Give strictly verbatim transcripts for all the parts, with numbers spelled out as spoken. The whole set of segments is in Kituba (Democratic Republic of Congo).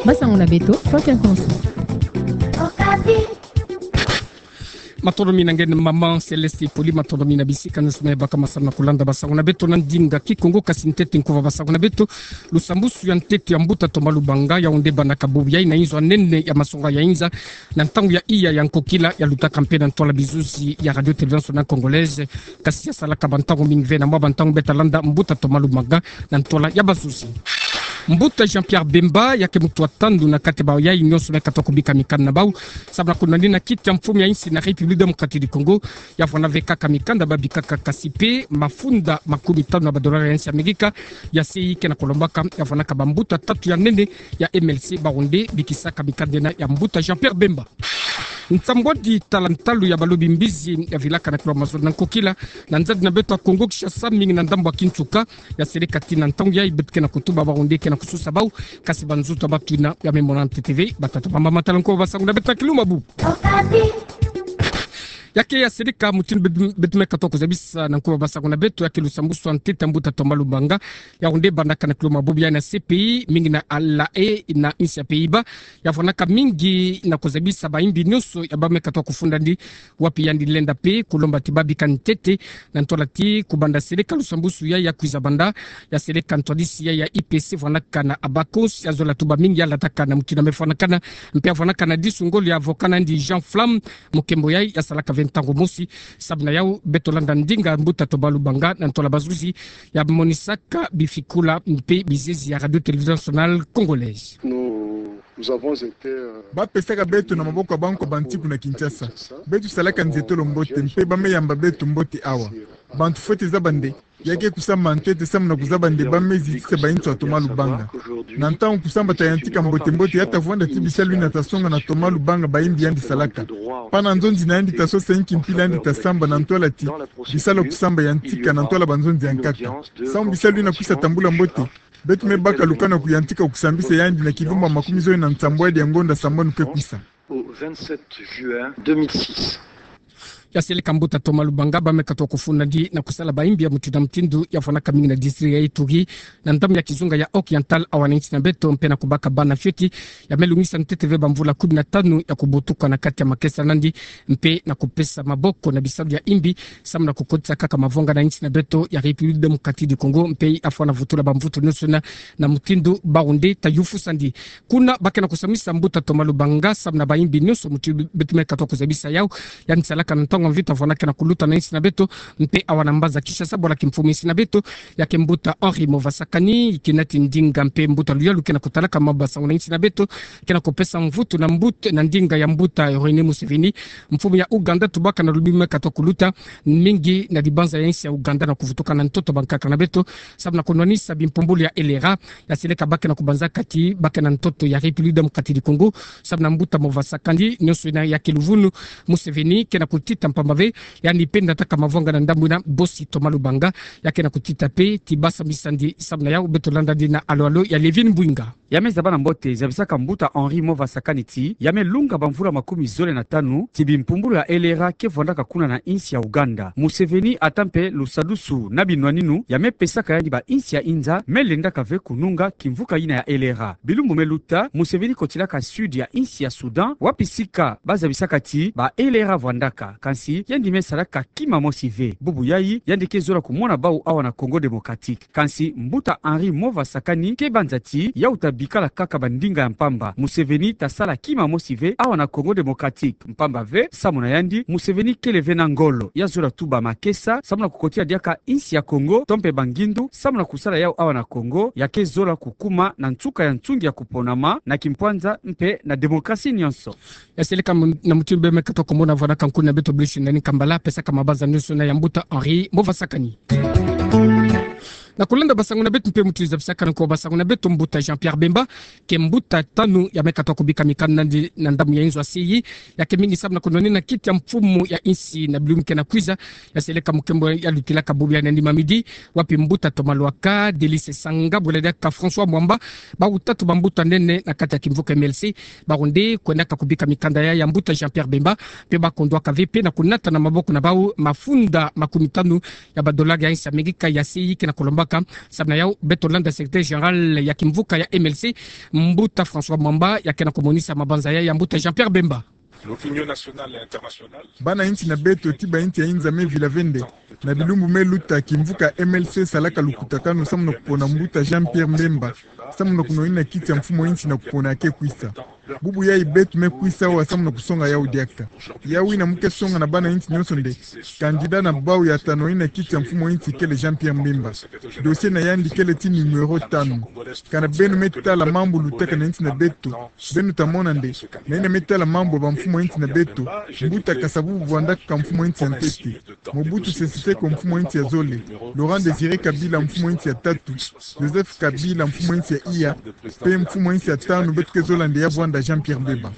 Basango na beto, Franklin Konso. Matondo mingi na nge mama Céleste Poli, matondo mingi na bisika nyonso me baka masamu na kulanda basango na beto na ndinga Kikongo. Kasi ntete nkuva basango na beto, lusambwasu ya ntete ya mbuta Thomas Lubanga, ya onde bana kabubi ya ina inzo ya nene ya masonga ya inza, na ntangu ya iya ya nkokila ya lutaka mpe na ntwala bizuzi ya Radio Télévision Nationale Congolaise, kasi ya salaka bantangu mingi ve na mwa bantangu beta landa mbuta Thomas Lubanga na ntwala ya bazuzi. Mbuta Jean-Pierre Bemba, ya ke mutu wa tanu na kati ya bayayi nyonso me katuka kubika mikanda na bau, samu na kunwanina kiti ya mfumu ya insi na République Démocratique du Congo, ya vwanda ve kaka mikanda ba bikaka kasi mpe mafunda makumi tanu na badolari ya insi ya Amerika, ya se ke na kulombaka, ya vwandaka bambuta tatu ya nene ya M L C ba onde bikisaka mikanda ena ya mbuta Jean-Pierre Bemba. Nsambwadi tala ntalu ya balobi mbizi ya vilaka na kilo mazono na nkokila na nzadi na beto ya Kongo Kinshasa, mingi na ndambu ya Kinsuka, ya seleka ti na ntangu yayi beto ke na kutuba ba onde ke na kususa bau, kasi banzutu ya batu ina ya me mona ntete ve. Batata, bamama, tala nkuva basango na beto na kilumbu. Ya ke ya seleka mutindu beto, beto me katuka kuzabisa na nkuva basango na beto, ya ke lusambwasu ya ntete ya mbuta Thomas Lubanga, ya onde bandaka na kilumbu ya na C P I, mingi na La Haye na insi ya Pays-Bas, ya vwandaka mingi na kuzabisa bayimbi nyonso ya ba me katuka kufunda ndi, wapi yandi lenda mpe kulomba ti ba bika ntete na ntwala ti kubanda seleka lusambwasu ya ya kwiza banda, ya seleka ntwadisi ya ya I P C vwandaka na Abacus, ya zola tuba mingi, ya lataka na mutindu ya me fwanakana, mpe ya vwandaka na disu ngolo ya avocat na yandi Jean Flamme, mukembo yayi ya salaka ve ntangu mosi. Samu na yau beto landa ndinga mbuta Thomas Lubanga na ntwala bazuzi, ya monisaka bifikula mpe bizezi ya Radio Télévision Nationale Congolaise. Nous, nous avons été, euh, ba pesaka beto na maboko ya bankwa banti kuna Kinshasa. Beto salaka nzietolo mbote, mpe ba me yamba beto mbote awa. Bantu fwete zaba nde, ya ke kusamba ntete samu na kuzaba nde ba me zitisa bayintu ya Thomas Lubanga. Na ntangu kusamba ta yantika mbote mbote, ya ta vwanda ti bisalu yina ta songa na Thomas Lubanga bayimbi yandi salaka. Pana nzonzi na yandi ta sosa inki mpila yandi ta samba na ntwala ti bisalu ya kusamba yantika na ntwala banzonzi ya nkaka. Samu bisalu yina kwisa tambula mbote, beto me baka lukanu ya kuyantika kusambisa yandi na kilumbu ya makumi zole na nsambwadi ya ngonda sambanu ke kwisa. Au vingt-sept juin deux mille six. Ya seleka mbuta Thomas Lubanga, ba me katuka kufunda ndi na kusala bayimbi ya mutindu na mutindu, ya vwandaka mingi na district ya Ituri, na ndambu ya kizunga ya Oriental, awa na insi na beto, mpe na kubaka bana fioti ya me lungisa ntete ve bamvula kumi na tanu ya kubutuka na kati ya makesa na yandi, mpe na kupesa maboko na bisalu ya imbi, samu na kukotisa kaka mavwanga na insi na beto ya République Démocratique du Congo, mpe afwana vutula bamvutu nyonso na, na mutindu ba onde ta yufusa ndi. Kuna ba ke na kusamisa mbuta Thomas Lubanga samu na bayimbi nyonso mutindu beto me katuka kuzabisa yau, yandi salaka na ntangu ya mvita vwanda ke na kuluta na insi na beto, mpe awa na mbanza Kinshasa, bwala kimfumu insi na beto, ya ke mbuta Henri Movasakani, kina ti ndinga mpe mbuta luyalu ke na kutalaka mabasango na insi na beto, ke na kupesa mvutu na mbuta, na ndinga ya mbuta Yoweri Museveni, mfumu ya Uganda, tubaka na lobi me katuka kuluta mingi na dibanza ya insi ya Uganda na kuvutuka na ntoto bankaka na beto, samu na kunwanisa bimpumbulu ya L R A, ya seleka ba ke na kubanzaka ti ba ke na ntoto ya République Démocratique du Congo, samu na mbuta Movasakani, nyonso yina ya ke luvunu Museveni ke na kutita, mpamba ve yandi mpe ndataka mavwanga na ndambu yina bosi Thomas Lubanga, ya ke na kutita mpe ti ba sambisa ndi. Samu na yau beto landa ndi na alo alo ya Levin Mbwinga. Ya me zaba na mbote zabisaka mbuta Henri Movasakani ti ya me lunga bamvula makumi zole na tanu ti bimpumbulu ya L R A ke vwandaka kuna na insi ya Uganda. Museveni ata mpe lusadusu na binwaninu ya me pesaka yandi ba insi ya inza me lendaka ve kununga kimvuka yina ya L R A. Bilumbu me luta, Museveni kotilaka sud ya insi ya Soudan, wapi sika ba zabisaka ti ba L R A vwandaka. Kansi yandi me salaka kima mosi ve. Bubu yayi, yandi ke zola kumona bau awa na Congo Démocratique. Kansi mbuta Henri Movasakani ke banza ti yau ta bikala kaka bandinga ya mpamba. Museveni ta sala kima mosi ve awa na Congo Démocratique. Mpamba ve, samu na yandi, Museveni kele ve na ngolo ya zola tuba makesa samu na kukotila diaka insi ya Congo, to mpe bangindu, samu na kusala yau awa na Congo ya ke zola kukuma na nsuka ya nsungi ya kuponama na kimpwanza mpe na démocratie nyonso. Ya seleka mu-, na mutindu beno me katuka kumona vwandaka nkuna beto Blaise Nani Nkambala, pesaka mabanza nyonso na ya mbuta Henri Movasakani. Na kulanda basango na beto mpe mutindu zabisaka na nkuva basango na beto, mbuta Jean-Pierre Bemba, ke mbuta tanu ya me katuka kubika mikanda na ndi na ndambu ya inzo ya C I, ya ke mingi samu na kunwanina kiti ya mfumu ya insi na bilumbu ke na kwiza. Ya seleka mukembo ya lutilaka bubu ya nani mamidi, wapi mbuta Thomas Lwaka, Delice Sanga, bwela diaka François Mwamba, bau tatu bambuta nene na kati ya kimvuka M L C, bau nde kwendaka kubika mikanda ya, ya mbuta Jean-Pierre Bemba, mpe ba kondwaka ve mpe na kunata na maboko na bau mafunda makumi tanu ya badolari ya insi ya Amerika ya C I ke na kulomba Ka, samu na yau, beto landa secrétaire général ya kimvuka ya M L C, Mbuta François Mwamba, ya ke na komonisa mabanza ya, ya Mbuta Jean-Pierre Bemba. Bana insi na beto ti ba insi ya inza me vila ve nde, na bilumbu me luta, kimvuka M L C salaka lukutakanu samu na kupona Mbuta Jean-Pierre Bemba, samu na kunonina kiti ya mfumu a insi na kupona ya ke kwisa. Bubu yayi beto me kwisa awa samu na kusonga yau diaka. Yau ina mu ke songa na bana insi nyonso nde, candidat na bau ya ta nonina kiti ya mfumu a insi kele Jean-Pierre Bemba. Dossier na yandi kele ti numéro tanu. Kana beno me tala mambu lutaka na insi na beto, beno ta mona nde, na ina me tala mambu ya ba mfumu a insi na beto, Mbuta Kasa-Vubu vwandaka mfumu a insi ya ntete. Mobutu Sese Seko mfumu a insi ya zole. Laurent Désiré Kabila mfumu a insi ya tatu. Joseph Kabila mfumu a insi ya iya. Pe mfumu a insi ya tanu beto ke zola nde ya vwanda Jean-Pierre Bemba.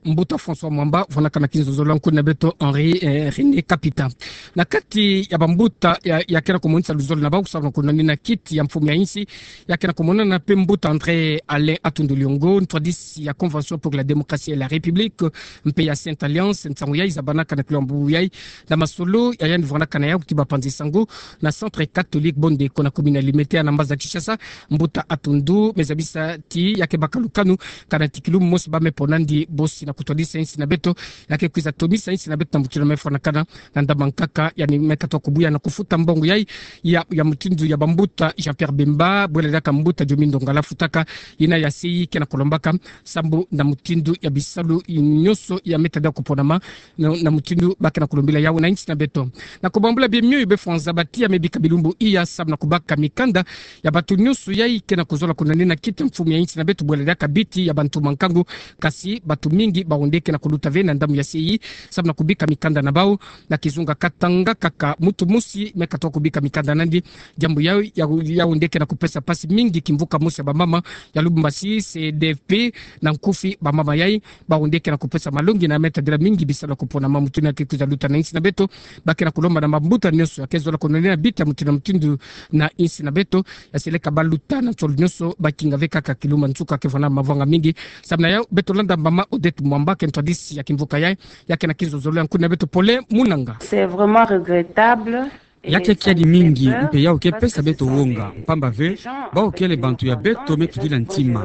Mbuta François Mwamba, vwanaka na kinzonzolo ya nkuna beto Henri, eh, René Kapita. Na kati ya bambuta ya, ya ke na komonisa luzolo na bau samu na kunonina kiti ya mfumu ya insi, ya ke na komonana pe Mbuta André Alain Atundu Liongo, ntwadisi ya Convention pour la Démocratie et la République, mpe ya Sainte Alliance, nsangu yayi zabanaka na kilombo yayi, na masolo ya yandi vwanaka na yau ti bapanzi sango, na Centre Catholique Bondeko na commune ya Limete, ana mbanza Kinshasa. Mbuta Atundu me zabisa ti ya ke baka lukanu, kana ti kilumbu mosi ba me pona nandi bosi na kutwadisa insi na beto, ya ke kwiza tomisa insi na beto na mutino me fwanakana, na ndambu nkaka, yandi me katuka kubuya na kufuta mbongo yayi, ya, ya mutindu ya bambuta Jean-Pierre Bemba, bwela diaka Mbuta Diomi Ndongala afutaka, ina ya se yi ke na kulombaka, sambu na mutindu ya bisalu nyonso ya me tadila kuponama, na, na mutindu ba ke na kulombila yau na insi na beto. Na kubambula bie mioyo, befo nzabati ya me bika bilumbu iya samu na kubaka mikanda ya bantu nyonso yayi ke na kuzola kunonina kiti ya mfumu ya insi na beto, bwela diaka biti ya bantu mankangu, kasi bantu mingi bawu nde ke na kuluta ve na ndambu ya se yi, samu na kubika mikanda na bau, na kizunga katanga kaka mutu mosi me katuka kubika mikanda na nandi, diambu yau, yau, yau nde ke na kupesa pasi mingi kimvuka mosi ya bamama ya Lubumbashi, C D F P, na nkufi bamama yayi, bawu nde ke na kupesa malongi na me tadila mingi bisalu ya kuponama. Mutindu ya ke kwiza luta na insi na beto, ba ke na kulomba na bambuta nyonso ya ke zola kunonina biti ya mutindu na mutindu na insi na beto, ya seleka ba luta na nsolo nyonso, ba kinga ve kaka kilumbu nsuka ke vwanda mavanga mingi. Samu na yau, beto landa mama Odette Mwamba, ke ntwadisi ya kimvuka yayi, ya ke na kinzonzolo ya nkuna beto pole munanga. C'est vraiment regrettable. Ya ke kiadi mingi, mpe yau ke pesa beto wonga, mpamba ve, bau kele bantu ya beto me tudila ntima.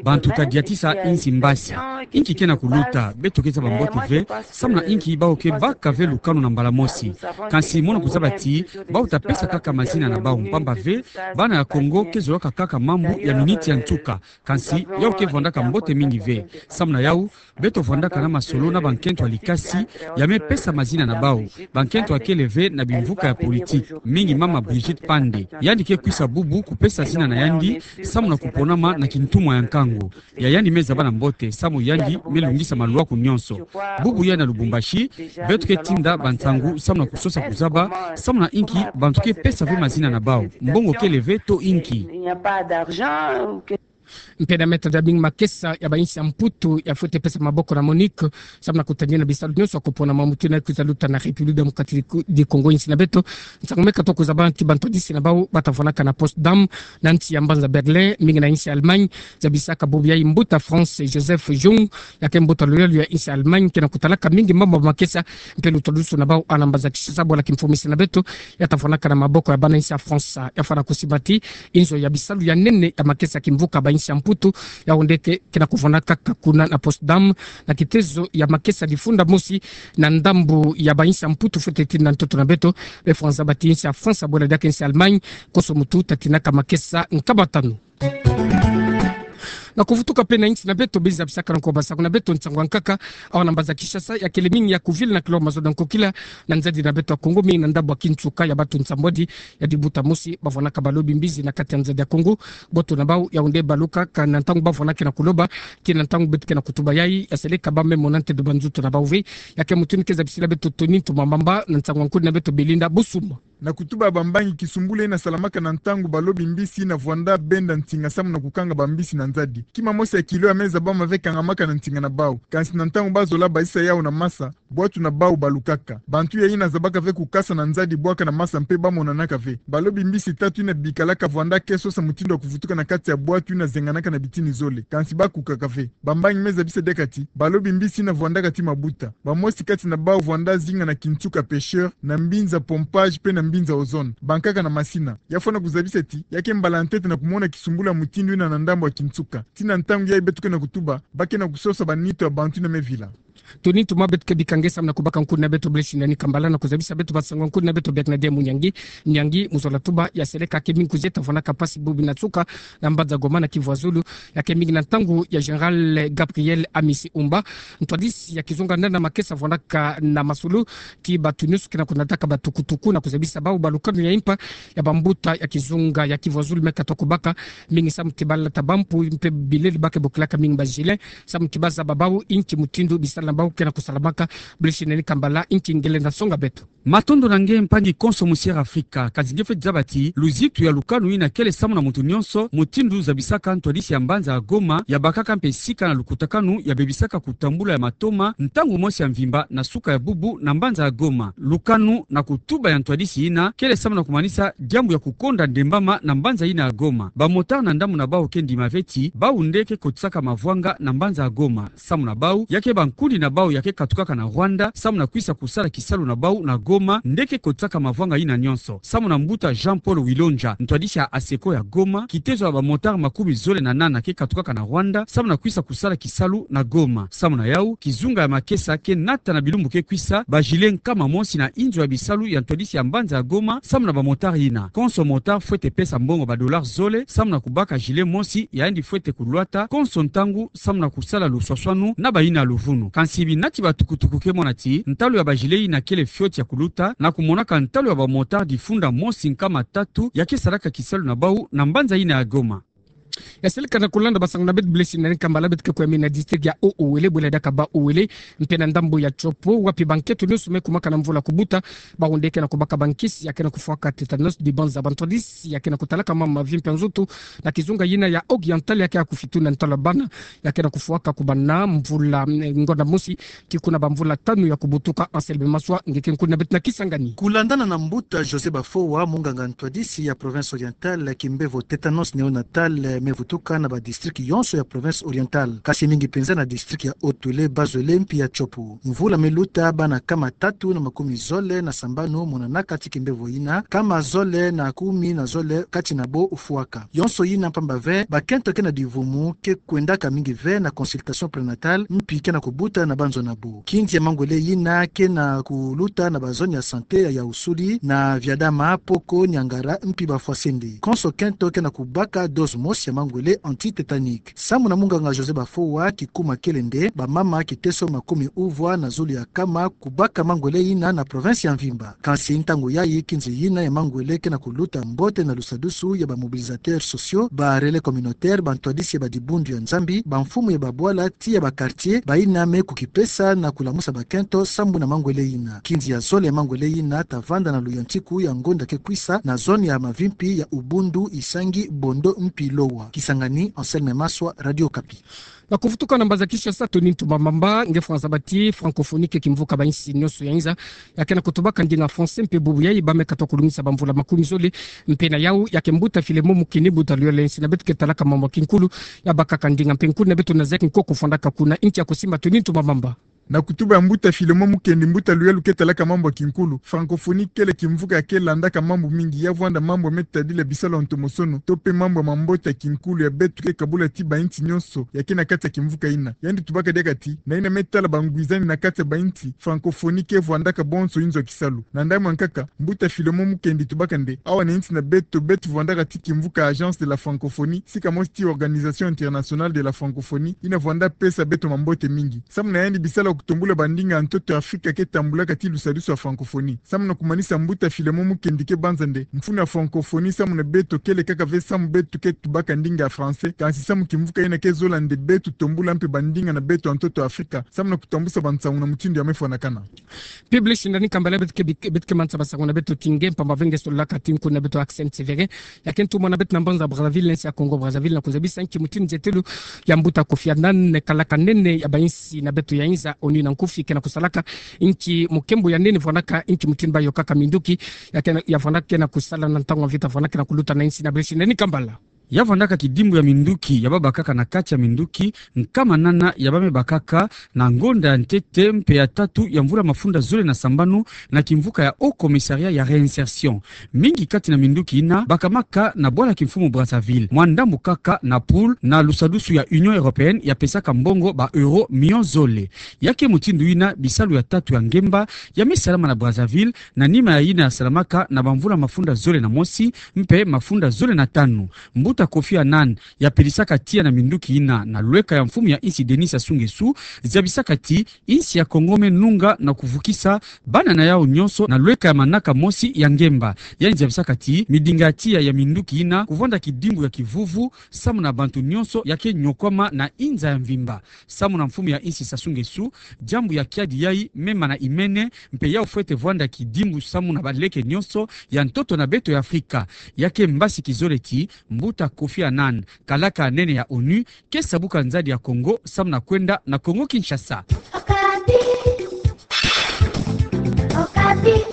Bantu ka diatisa insi mbasi. Inki ke na kuluta, beto ke zaba mbote ve, samu na inki bau ke baka ve lukanu na mbala mosi. Kansi mono kuzaba ti, bau ta pesa kaka mazina na bau, mpamba ve, bana ya Kongo ke zolaka kaka mambu ya miniti ya nsuka. Kansi, yau ke vwandaka mbote mingi ve. Samu na yau, beto vwandaka na masolo na bankento ya likasi, ya me pesa mazina na bau. Bankento ya kele ve na bimvuka ya politiki. Mingi mama Brigitte Pande. Yandi ke kwisa bubu kupesa zina na yandi, samu na kuponama na kintumwa ya nkangu. Ya yandi me zaba na mbote, samu yandi me lungisa malwaku nyonso. Bubu ya na Lubumbashi, beto ke tinda bansangu, samu na kusosa kuzaba, samu na inki, bantu ke pesa ve mazina na bau. Mbongo kele ve to inki. Mpe na me tadila mingi makesa ya ba insi ya Mputu ya fwete pesa maboko na Monique, samu na kutadila bisalu nyonso ya kuponama. Mutindu ya ke kwiza luta na République Démocratique du Congo, insi na beto. Nsangu me katuka kuzaba ti bantwadisi na bau ba ta vwanaka na Potsdam, na nsi ya mbanza Berlin, mingi na insi ya Allemagne, zabisaka bubu yayi Mbuta France Joseph Jung, ya ke mbuta lulendo ya insi ya Allemagne, ke na kutalaka mingi mambu ya makesa, mpe lutwadusu na bau ana mbanza Kinshasa, bwela kimfumisi na beto, ya ta vwanaka na maboko ya bana insi ya France, ya fwana kusimbati inzo ya bisalu ya nene ya makesa kimvuka ba insi ya Mputu, yau nde ke, ke na kuvwanaka kaka kuna na Potsdam, na kitezo ya makesa difunda mosi, na ndambu ya ba insi ya Mputu fwete tinda ntoto na beto, befo nzabati insi ya France, bwela diaka insi ya Allemagne, konso mutu ta tindaka makesa nkama tanu. Na kuvutuka mpe na insi na beto, beno zabisaka na nkwa ba nsangu na beto, nsangu ya nkaka, awa na mbanza Kinshasa, ya kele mingi ya kuvila na kilombo mazono ya nkokila, na nzadi na beto ya Kongo, mingi na ndambu ya kinsuka ya bantu nsambwadi, ya dibuta mosi, ba vwanaka balobi mbizi na kati ya nzadi ya Kongo, boto na bau, yau nde balukaka na ntangu ba vwanaka na kuloba, tii na ntangu beto ke na kutuba yayi, ya seleka ba me mona nte doba nzutu na bau ve, ya ke mutindu ke zabisila beto Tony Ntoma Mamba, na nsangu ya nkuna beto Belinda Busuma. Na kutuba bambangi, kisumbulu ina salamaka na ntangu balobi mbisi ina vwanda benda nsinga samu na kukanga bambisi na nzadi. Kima mosi ya kilo ya me zabama ve kangamaka na nsinga na bau. Kansi na ntangu ba zola bazisa yau na masa, bwatu na bau balukaka. Bantu ya ina zabaka ve kukasa na nzadi bwaka na masa mpe ba monanaka ve. Balobi mbisi tatu ina bikalaka vwanda ke sosa mutindu ya kuvutuka na kati ya bwatu ina zenganaka na bitini zole. Kansi ba kukaka ve. Bambangi me zabisa diaka ti, balobi mbisi ina vwandaka ti mabuta. Bamosi kati na bau vwanda zinga na kinsuka pêcheur, na mbinza pompage mpe na binza ozone, bankaka na masina. Ya fwana kuzabisa ti, ya ke mbala ya ntete na kumona kisumbulu ya mutindu yina na ndambu ya kinsuka. Tii na ntangu yayi beto ke na kutuba, ba ke na kusosa banitu ya bantu yina me vila. Toni Ntuma, beto ke bika nge samu na kubaka nkundi na beto, Blaise Shindani Kambala, na kuzabisa beto basango ya nkundi na beto biakina dia Munyangi. Munyangi, mu zola tuba, ya seleka ke mingi kuzieta fwanaka mpasi bubu na nsuka na mbanza Goma na Kivu ya Zulu, ya ke mingi na ntangu ya Général Gabriel Amisi Umba. Ntwadisi ya kizunga nana makesa fwanaka na masulu ti bato nyonso ke na kunataka batukutuku, na kuzabisa bawu balukanu ya impa ya bambuta ya kizunga ya Kivu ya Zulu me katuka kubaka, mingi samu ti balata bampu mpe bilele ba ke bokilaka mingi ba gilet, samu ti bazaba bawu inki mutindu bisalu na bawu ke na kusalamaka. Blaise Shindani Kambala, inki ngelenda songa beto. Matondo na nge mpangi konso Musière Afrika, kasi nge fweti zaba ti luzitu ya lukanu yina kele samu na muntu nyonso, mutindu zabisaka ntwadisi ya mbanza ya Goma, ya bakaka mpe sika na lukutakanu ya bebisaka kutambula ya matoma ntangu mosi ya mvimba na suka ya bubu na mbanza ya Goma. Lukanu na kutuba ya ntwadisi yina kele samu na kumanisa diambu ya kukonda ndembama na mbanza yina ya Goma. Bamotard na ndambu na bawu ke ndima ve ti bawu nde ke kotisaka mavwanga na mbanza ya Goma. Samu na bawu, ya ke bankundi na bawu ya ke katukaka na Rwanda samu na kwisa kusala kisalu na bawu na Goma nde ke kotisaka mavwanga yina nyonso. Samu na mbuta Jean-Paul Wilonja, ntwadisi ya ASECO ya Goma, kitezo ya bamotard makumi zole na nana ke katukaka na Rwanda samu na kwisa kusala kisalu na Goma. Samu na yawu, kizunga ya makesa ke nata na bilumbu ke kwisa ba gilet nkama mosi na inzo ya bisalu ya ntwadisi ya mbanza ya Goma samu na bamotard yina. Konso motard fwete pesa mbongo ba dollars zole samu na kubaka gilet mosi, ya yandi fwete kulwata konso ntangu samu na kusala luswaswanu na bayina ya luvunu. Kansi binati batukutuku ke mona ti ntalu ya ba gilet yina kele fioti ya kuluta, na kumonaka ntalu ya bamotard funda mosi nkama tatu ya ke salaka kisalu na bawu na mbanza yina ya Goma. Ya seleka na kulanda basango na beto, Blaise Shindani Kambala, beto ke kwe mi na district ya Haut-Uélé, bwela diaka Bas-Uélé, mpe na ndambu ya Tshopo, wapi bankento nyonso me kumaka na mvula kubuta, bawu nde ke na kubaka bankisi ya ke na kufwaka tétanos, dibanza. Bantwadisi ya ke na kutalaka mambu mavimpi ya nzutu na kizunga yina ya Oriental ya ke ya kufituna ntalu ya bana ya ke na kufwaka kubanda mvula, mm, ngonda mosi tii kuna bamvula tanu ya kubutuka. Anselme Maswa, nge ke nkundi na beto na Kisangani. Kulandana na mbuta José Bafowa, munganga ntwadisi ya province Orientale, kimbevo tétanos néonatal me vutuka na badistrict yonso ya province Orientale, kasi mingi penza na district ya Haut-Uélé, Bas-Uélé mpi ya Tshopo. Mvula me luta, bana nkama tatu na makumi zole na sambanu monanaka ti kimbevo yina, nkama zole na kumi na zole kati na bo fwaka. Yonso yina mpamba ve, bakento ke na divumu ke kwendaka mingi ve na consultation prénatale, mpi ke na kubuta na banzo na bo. Kinzi ya mangwele yina ke na kuluta na bazone ya santé ya Yaoussouli, na Viadama, Poko, Niangara mpi Bafouassende. Konso kento ke na kubaka dose mosi ya mangwele anti-tétanique. Samu na munganga José Bafowa, kikuma kele nde bamama kiteso makumi uvwa na zulu ya nkama kubaka mangwele yina na province ya mvimba. Kansi ntangu yayi, kinzi yina ya mangwele ke na kuluta mbote na lusadusu ya ba mobilisateurs sociaux, ba relais communautaires, bantwadisi ya badibundu ya Nzambi, bamfumu ya babwala tii ya baquartier, bayina me kukipesa na kulamusa bakento sambu na mangwele yina. Kinzi ya zole ya mangwele yina ta vanda na luyantiku ya ngonda ke kwisa na zone ya mavimpi ya Ubundu, Isangi, Bondo mpi Lowa. Kisangani, Anselme Maswa, Radio Okapi. Na kuvutuka na mbanza Kinshasa, Tony Ntumba Mamba, nge fwanza bati, francophonie ke kimvuka ba insi nyonso ya inza ya ke na kutubaka ndinga français, mpe bubu yayi ba me katuka kulungisa bamvula makumi zole. Mpe na yawu, ya ke mbuta Filemon Mukendi, mbuta luyole insi na beto ke talaka mambu ya kinkulu, ya bakaka ndinga, mpe nkundi na beto na Zac Nkoko fwandaka kuna. Inki ya kusimba, Tony Ntumba Mamba? Na kutuba ya mbuta Filemon Mukendi, mbuta luyalu ke talaka mambu ya kinkulu, francophonie kele kimvuka ya ke landaka mambu mingi, ya vwanda mambu ya me tadila bisalu ya ntomosono, to mpe mambu ya mambote ya kinkulu ya beto ke kabula tii ba insi nyonso ya ke na kati ya kimvuka yina. Yandi tubaka diaka ti, na yina me tala bangwizani na kati ya ba insi, francophonie ke vwandaka bonso inzo ya kisalu. Na ndambu ya nkaka, mbuta Filemon Mukendi tubaka nde, awa na insi na beto, beto vwandaka tii kimvuka Agence de la Francophonie, sika mosi tii Organisation Internationale de la Francophonie, yina vwanda pesa beto mambote mingi. Samu na yandi, bisalu ya kutombula bandinga ya ntoto ya Afrika ke tambulaka tii lusadusu ya francophonie. Samu na kumanisa, mbuta Filemon Mukendi ke banza nde, mfunu ya francophonie samu na beto kele kaka ve samu beto ke tubaka ndinga ya français, kansi samu kimvuka yina ke zola nde beto tombula mpe bandinga na beto ya ntoto ya Afrika, samu na kutambusa bansangu na mutindu ya me fwanakana. Public Shindani Kambala, beto ke, beto ke manisa basango na beto tinge, mpamba ve nge sololaka ti nkundi na beto Accent T V ya ke ntumwa na beto na mbanza Brazzaville, na insi ya Congo Brazzaville, na kuzabisa nki mutindu nzietelo ya mbuta Kofi Annan, kalaka nene ya ba insi na beto ya inza, ONU na nkufi, ke na kusalaka, nki mukembo ya nene vwanaka, nki mutindu ba yokaka minduki ya ke na, ya vwanaka ke na kusala na ntangu ya mvita vwanaka ke na kuluta na insi na Public Shindani Kambala. Ya vandaka kidimbu ya minduki ya babakaka na kati ya minduki nkama nana ya bamebakaka na ngonda ya ntete mpe ya tatu ya mvula mafunda zole na sambanu na kimvuka ya Haut Commissariat ya Réinsertion. Mingi kati na minduki yina bakamaka na bwala kimfumu Brazzaville, mwa ndambu kaka na pool na lusadusu ya Union Européenne ya pesaka mbongo ba euro miyo zole. Ya ke mutindu yina bisalu ya tatu ya ngemba ya mesalama na Brazzaville, na nima ya yina ya salamaka na bamvula mafunda zole na mosi mpe mafunda zole na tanu. Mbuta Kofi Annan, ya pedisaka tiya na minduki yina na lweka ya mfumu ya insi Denis Sassou Nguesso, zabisaka ti insi ya Congo me nunga na kuvukisa bana na yawu nyonso na lweka ya manaka mosi ya ngemba. Yandi zabisaka ti midinga ya tiya ya minduki yina kuvanda kidimbu ya kivuvu samu na bantu nyonso ya ke nyokwama na inza ya mvimba. Samu na mfumu ya insi Sassou Nguesso, diambu ya kiadi yayi mema na imene, mpe yawu fwete vwanda kidimbu samu na baleke nyonso ya ntoto na beto ya Afrika. Ya ke mbasi kizole ti Mbuta Kofi Annan, kalaka nene ya ONU, ke sabuka nzadi ya Congo samu na kwenda na Congo-Kinshasa. Okapi. Okapi.